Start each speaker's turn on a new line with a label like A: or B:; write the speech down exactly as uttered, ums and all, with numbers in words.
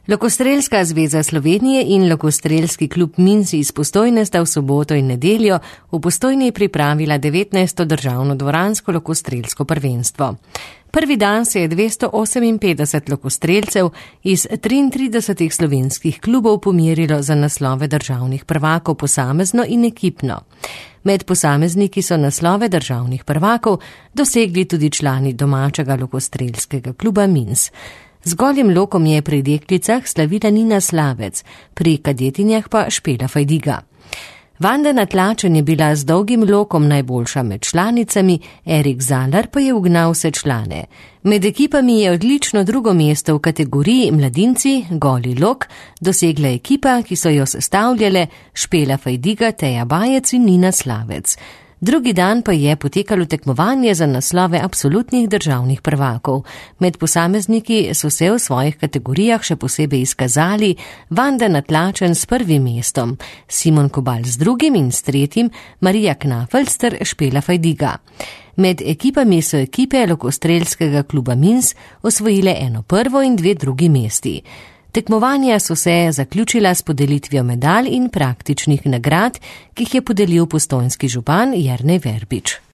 A: Lokostrelska zveza Slovenije in Lokostrelski klub Mins iz Postojne sta v soboto in nedeljo v Postojni pripravila devetnajsto državno dvoransko lokostrelsko prvenstvo. Prvi dan se je dvesto oseminpetdeset lokostrelcev iz triintridesetih slovenskih klubov pomerilo za naslove državnih prvakov posamezno in ekipno. Med posamezniki so naslove državnih prvakov dosegli tudi člani domačega lokostrelskega kluba Mins. Z golim lokom je pri deklicah slavila Nina Slavec, pri kadetinjah pa Špela Fajdiga. Vanda Natlačen je bila z dolgim lokom najboljša med članicami, Erik Zalar pa je ugnal vse člane. Med ekipami je odlično drugo mesto v kategoriji mladinci, goli lok, dosegla ekipa, ki so jo sestavljale Špela Fajdiga, Teja Bajec in Nina Slavec. Drugi dan pa je potekalo tekmovanje za naslove absolutnih državnih prvakov. Med posamezniki so se v svojih kategorijah še posebej izkazali Vanda Natlačen s prvim mestom, Simon Kobal z drugim in s tretjim, Marija Knafelster, Špela Fajdiga. Med ekipami so ekipe Lokostrelskega kluba Mins osvojile eno prvo in dve drugi mesti. Tekmovanja so se zaključila s podelitvijo medalj in praktičnih nagrad, ki jih je podelil postojnski župan Jernej Verbič.